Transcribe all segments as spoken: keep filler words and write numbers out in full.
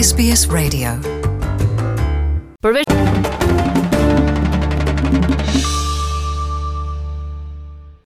S B S Radio. Përveç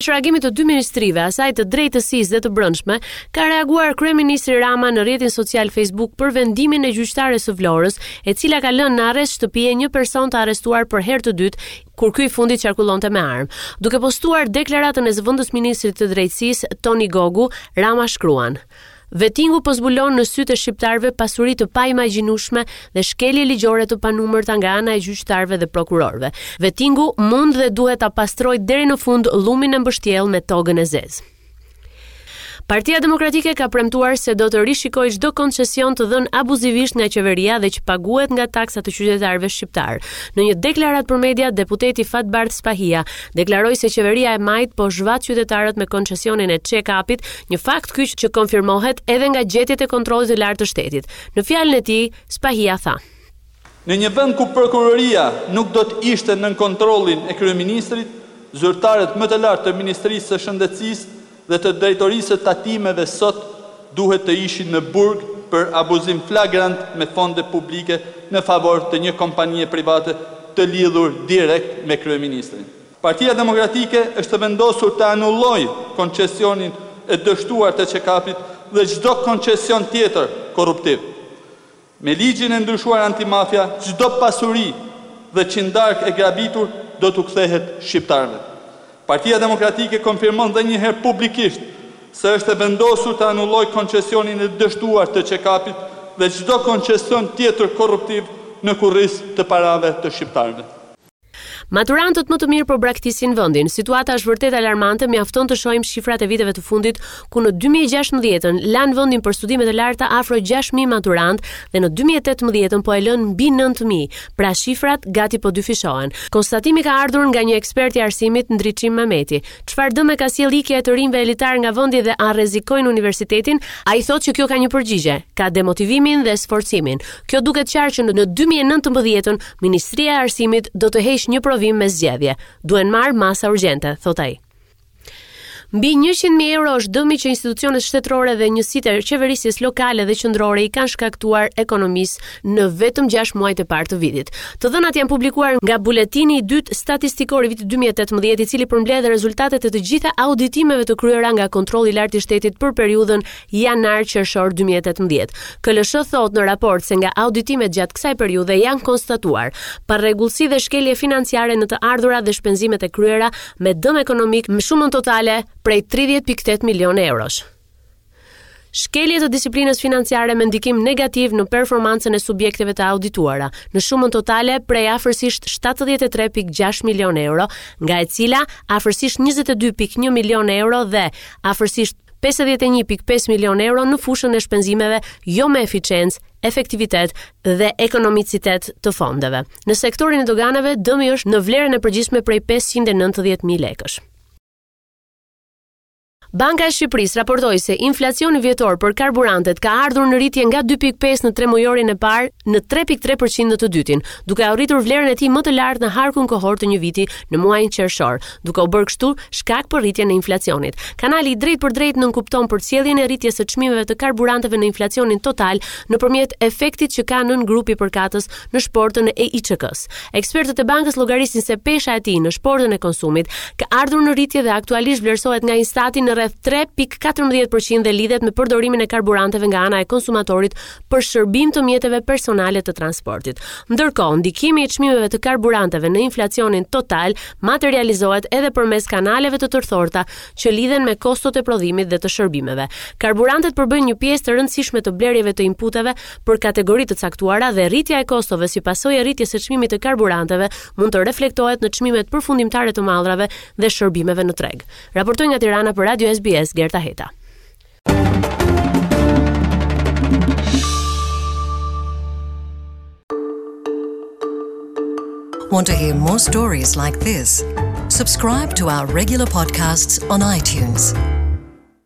reagimit të dy ministrive, asaj të drejtësisë dhe të brendshme, ka reaguar kryeministri Rama në rrjetin social Facebook për vendimin e gjyqtares së Vlorës, e cila ka lënë në arrest shtëpie një person të arrestuar për herë të dytë kur ky i fundit qarkullonte me armë. Duke postuar deklaratën e zëvendës ministrit të drejtësisë Toni Gogu, Rama shkruan: "Vetingu po zbulon në sytë e shqiptarëve pasuri të paimagjinueshme dhe shkelje ligjore të panumërta nga ana e gjyqtarëve dhe prokurorëve. Vetingu mund dhe duhet ta pastrojë deri në fund llumin e mbështjellë me togën e zezë." Partia Demokratike ka premtuar se do të rishikojë çdo koncesion të dhënë abuzivisht nga qeveria dhe që paguhet nga taksat të qytetarëve shqiptar. Në një deklaratë për media, deputeti Fatbardh Spahia deklaroi se qeveria e majt po zhvat qytetarët me koncesionin e check-upit, një fakt ky që konfirmohet edhe nga gjetjet e kontrollit të lartë të shtetit. Në fjalën e tij, Spahia tha: Në një vend ku prokuroria nuk do të ishte nën kontrollin e kryeministrit, zyrtarët më të lartë të Ministrisë së Shëndetësisë dhe të drejtorisë së tatimeve sot duhet të ishin në burg për abuzim flagrant me fonde publike në favor të një kompanie private të lidhur direkt me kryeministrin. Partia Demokratike është vendosur të anullojë koncesionin e dështuar të check-upit dhe çdo koncesion tjetër korruptiv. Me ligjin e ndryshuar antimafia, çdo pasuri dhe qindark e grabitur do t'u kthehet shqiptarëve. Partia Demokratike konfirmon dhe një herë publikisht se është e vendosur të anullojë koncesionin e dështuar të check-upit dhe çdo koncesion tjetër korruptiv në kurriz të parave të shqiptarëve. Maturantët më të mirë po braktisin vendin. Situata është vërtet alarmante, mjafton të shohim shifrat e viteve të fundit, ku në dy mijë e gjashtëmbëdhjetën lanë vendin për studime të larta afro gjashtë mijë maturantë dhe në dy mijë e tetëmbëdhjetën po e lënë mbi nëntë mijë. Pra, shifrat gati po dyfishohen. Konstatimi ka ardhur nga një ekspert i arsimit, Ndriçim Mehmeti. Çfarë dëme ka sjellë ikja e të rinjve elitar nga vendi dhe a rrezikojnë universitetin? Ai thotë që kjo ka një përgjigje, ka demotivimin dhe sforcimin. Kjo duket qartë që në dy mijë e nëntëmbëdhjetën Ministria e Arsimit do të heq një provim me zgjedhje. "Duhen marrë masa urgjente", thot ai. Mbi njëqind mijë euro është dëmi që institucionet shtetërore dhe njësitë e qeverisjes lokale dhe qendrore i kanë shkaktuar ekonomisë në vetëm gjashtë muajt e parë të vitit. Të dhënat janë publikuar nga buletini i dytë statistikor i vitit dy mijë e tetëmbëdhjetë, i cili përmbledh rezultatet e të gjitha auditimeve të kryera nga Kontrolli i Lartë i Shtetit për periudhën janar-qershor dy mijë e tetëmbëdhjetë. K L S H thotë në raport se nga auditimet gjatë kësaj periudhe janë konstatuar parregullsi dhe shkelje financiare në të ardhurat dhe shpenzimet e kryera me dëm ekonomik në shumën totale prej tridhjetë pikë tetë milionë eurosh. Shkelje të disiplinës financiare me ndikim negativ në performancën e subjekteve të audituara, në shumën totale prej afërsisht shtatëdhjetë e tre pikë gjashtë milionë euro, nga e cila afërsisht njëzet e dy pikë një milionë euro dhe afërsisht pesëdhjetë e një pikë pesë milionë euro në fushën e shpenzimeve jo me eficiencë, efektivitet dhe ekonomicitet të fondeve. Në sektorin e doganave, dëmi është në vlerën e përgjithshme prej pesëqind e nëntëdhjetë mijë lekësh. Banka e Shqipërisë raportoi se inflacioni vjetor për karburantet ka ardhur në rritje nga dy pikë pesë në tremujorin e parë në tre pikë tre për qind në të dytin, duke arritur vlerën e tij më të lartë në harkun kohor të një viti në muajin qershor, duke u bërë kështu shkak për rritjen e inflacionit. Kanali i drejt për drejt nënkupton përcjelljen e rritjes së çmimeve të karburanteve në inflacionin total nëpërmjet efektit që ka nën grupi përkatës në shportën e I Ç K-s. Ekspertët e bankës llogarisin se pesha e tij në shportën e konsumit ka ardhur në rritje dhe aktualisht vlerësohet nga Instati në rreth tre pikë katërmbëdhjetë për qind dhe lidhet me përdorimin e karburanteve nga ana e konsumatorit për shërbim të mjeteve personale të transportit. Ndërkohë, ndikimi i çmimeve të karburanteve në inflacionin total materializohet edhe përmes kanaleve të tërthorta që lidhen me kostot e prodhimit dhe të shërbimeve. Karburantet përbëjnë një pjesë të rëndësishme të blerjeve të inputeve për kategori të caktuara dhe rritja e kostove si pasojë e rritjes së çmimit të karburanteve mund të reflektohet në çmimet përfundimtare të mallrave dhe shërbimeve në treg. Raportoi nga Tirana për Radio S B S Gerta Heta. Want to hear more stories like this? Subscribe to our regular podcasts on iTunes.